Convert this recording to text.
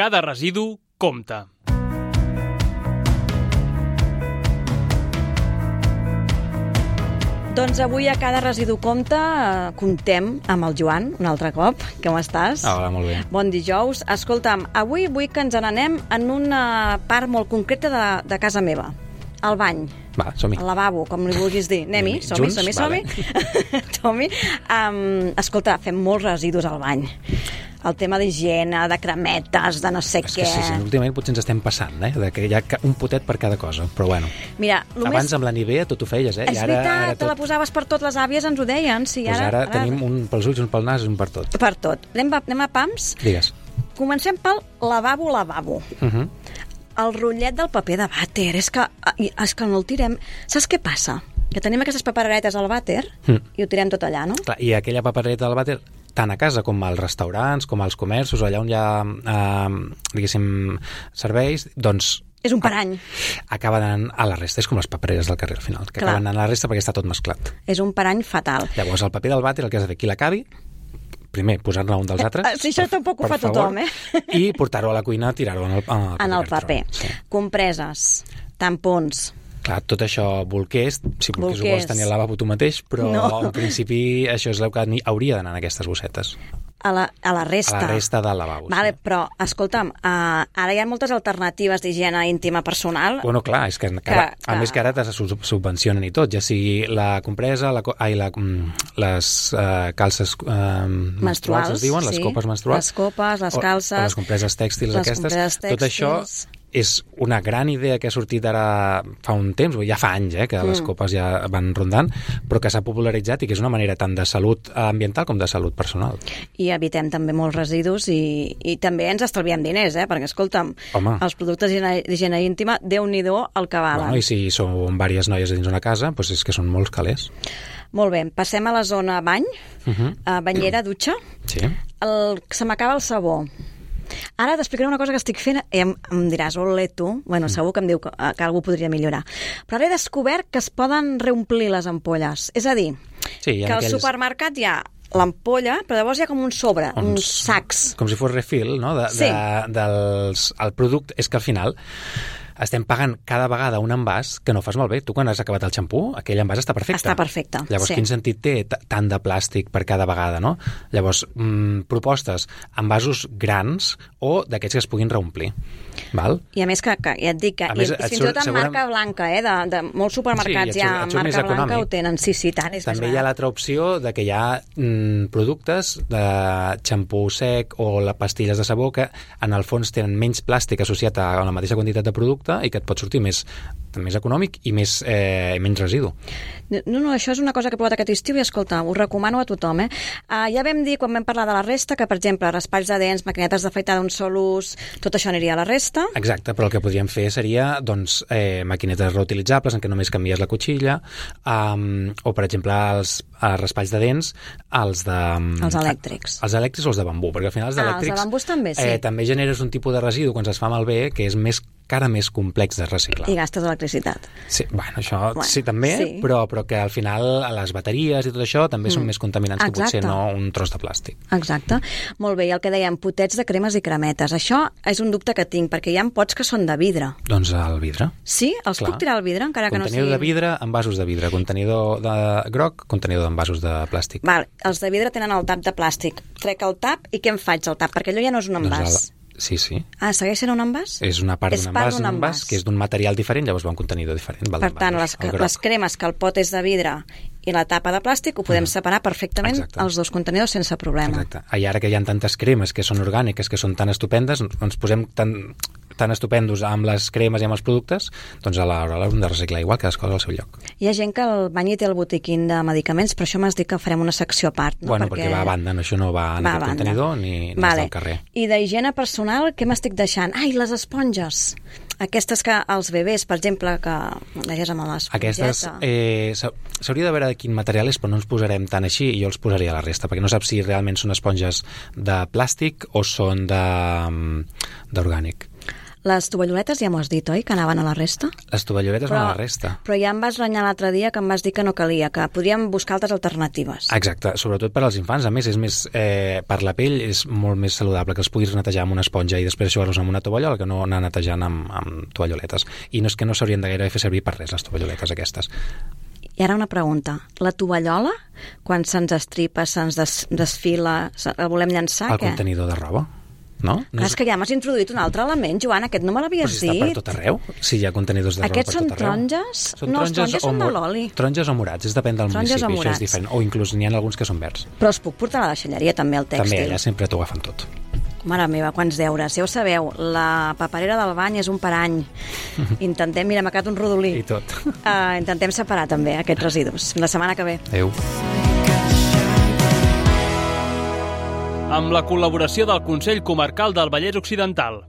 Cada residu compta. Doncs avui a Cada residu compta comptem amb el Joan, un altre cop. Com estàs? Hola, molt bé. Bon dijous. Escolta'm, avui vull que ens n'anem en una part molt concreta de casa meva. Al bany. Va, som-hi. Al lavabo, com li vulguis dir. Anem-hi, som-hi. Vale. Som-hi. Escolta, fem molts residus al bany. El tema d'higiene, de cremetes, de no sé què. Sí, últimament potser ens estem passant, de que hi ha un potet per cada cosa, però bueno. Mira, abans amb la Nivea tot ho feies, És veritat, te la posaves per tot, les àvies ens ho deien. Sí, doncs ara tenim un pels ulls, un pel nas i un per tot. Per tot. Anem a pams? Digues. Comencem pel lavabo. El rotllet del paper de vàter. És que no el tirem. Saps què passa? Que tenim aquestes paperetes al vàter i ho tirem tot allà, no? Clar, i aquella papereta del vàter, tant a casa com als restaurants, com als comerços, allà on hi ha, diguéssim, serveis, doncs... És un parany. Acaba anant a la resta. És com les papereres del carrer, al final, que acaben anant a la resta perquè està tot mesclat. És un parany fatal. Llavors, el paper del vàter, el que has de fer, qui l'acabi, primer, posar-ne un dels altres. Sí, això tampoc ho fa tothom, I portar-ho a la cuina, tirar-ho en el paper. Sí. Compreses, tampons... Clar, tot això, bolquers, si bolquers ho vols tenir al lavabo tu mateix, però en principi això és el que hauria d'anar en aquestes bossetes. A la resta. A la resta del lavabo. Vale, sí. Però, escolta'm, ara hi ha moltes alternatives d'higiene íntima personal. Bueno, clar, és que a més que ara te subvencionen i tot, ja sigui la compresa, les calces menstruals, es diuen, les copes menstruals. Les copes, les calces. O les compreses tèxtils aquestes. Tot això és una gran idea que ha sortit ara fa un temps, ja fa anys que les copes ja van rondant, però que s'ha popularitzat i que és una manera tant de salut ambiental com de salut personal. I evitem també molts residus i també ens estalviem diners, perquè, escolta'm, els productes d'higiene íntima, Déu-n'hi-do el que valen. Bueno, i si són diverses noies dins una casa, doncs és que són molts calés. Molt bé, passem a la zona bany, banyera, dutxa. Sí. Se m'acaba el sabó. Ara t'explicaré una cosa que estic fent i em diràs, ole tu, bueno, segur que em diu que algú podria millorar. Però ara he descobert que es poden reomplir les ampolles. És a dir, que al supermercat hi ha l'ampolla, però llavors hi ha com un sobre, uns sacs. Com si fos refill, no? El producte és que al final estem pagant cada vegada un envàs que no fas malbé. Tu, quan has acabat el xampú, aquell envàs està perfecte. Està perfecte, Llavors, quin sentit té tant de plàstic per cada vegada, no? Llavors, propostes envasos grans o d'aquests que es puguin reomplir. Val? I a més que ja et dic, fins i tot en marca blanca, de molts supermercats ja en marca blanca ho tenen. Sí, tant. També hi ha l'altra opció de que hi ha productes de xampú sec o les pastilles de sabó que en el fons tenen menys plàstic associat a la mateixa quantitat de producte i que et pot sortir més econòmic i menys residu. No, això és una cosa que he provat aquest estiu i, escolta, ho recomano a tothom. Ja vam dir, quan vam parlar de la resta, que, per exemple, raspalls de dents, maquinetes d'afaitar d'un sol ús, tot això aniria a la resta. Exacte, però el que podríem fer seria, doncs, maquinetes reutilitzables en què només canvies la cotxilla, o, per exemple, els raspalls de dents, els elèctrics. Els elèctrics o els de bambú, perquè al final els elèctrics... Els de bambús també, sí. També generes un tipus de residu quan es fa malbé que és més complex de reciclar. I gastes electricitat. Sí, això sí, també, sí. Però que al final les bateries i tot això també són més contaminants que potser no un tros de plàstic. Exacte. Molt bé, i el que dèiem, potets de cremes i cremetes. Això és un dubte que tinc, perquè hi ha pots que són de vidre. Doncs el vidre. Sí? Els puc tirar al vidre, encara que no sigui... Contenidor de vidre, envasos de vidre. Contenidor de groc, contenidor d'envasos de plàstic. Val, els de vidre tenen el tap de plàstic. Trec el tap i què em faig al tap? Perquè allò ja no és un envàs. Sí. Segueix sent un envàs? És una part d'un envàs, que és d'un material diferent, llavors va un contenidor diferent. Per tant, les cremes que el pot és de vidre i la tapa de plàstic ho podem separar perfectament els dos contenidors sense problema. Exacte. I ara que hi ha tantes cremes que són orgàniques, que són tan estupendes, ens posem tan estupendos amb les cremes i amb els productes, doncs a l'hora hem de reciclar igual, cada cosa al seu lloc. Hi ha gent que el bany té el botiquín de medicaments, però això m'has dit que farem una secció a part. No? Bueno, perquè va a banda, això no va en aquest contenidor ni al carrer. I d'higiene personal, què m'estic deixant? Les esponges. Aquestes que els bebès, per exemple, que neges amb l'espongeta. Aquestes s'hauria de veure de quin material és, però no ens posarem tant així i jo els posaria a la resta, perquè no saps si realment són esponges de plàstic o són d'orgànic. Les tovalloletes ja m'ho has dit, oi? Que anaven a la resta? Les tovalloletes van a la resta. Però ja em vas renyar l'altre dia que em vas dir que no calia, que podríem buscar altres alternatives. Exacte, sobretot per als infants. A més, és més per la pell és molt més saludable que els puguis netejar amb una esponja i després eixugar-los amb una tovallola que no anar netejant amb tovalloletes. I no és que no s'haurien de gaire fer servir per res, les tovalloletes aquestes. I ara una pregunta. La tovallola, quan se'ns estripa, se'ns desfila, la volem llançar, El contenidor de roba? No? És que ja m'has introduït un altre element, Joan, aquest no me l'havies dit. Però si està per tot arreu, si hi ha contenidors de roba per tot arreu. Aquests són taronges? No, els taronges són de l'oli. Taronges o morats, depèn del municipi, això és diferent. O inclús n'hi ha alguns que són verds. Però els puc portar a la deixalleria també, el tèxtil? També, allà sempre t'ho agafen tot. Mare meva, quants deures. Ja ho sabeu, la paperera del bany és un per any. Intentem, mira, m'ha quedat un rodolí. I tot. Intentem separar també aquests residus. La setmana que ve. Adéu. Amb la col·laboració del Consell Comarcal del Vallès Occidental.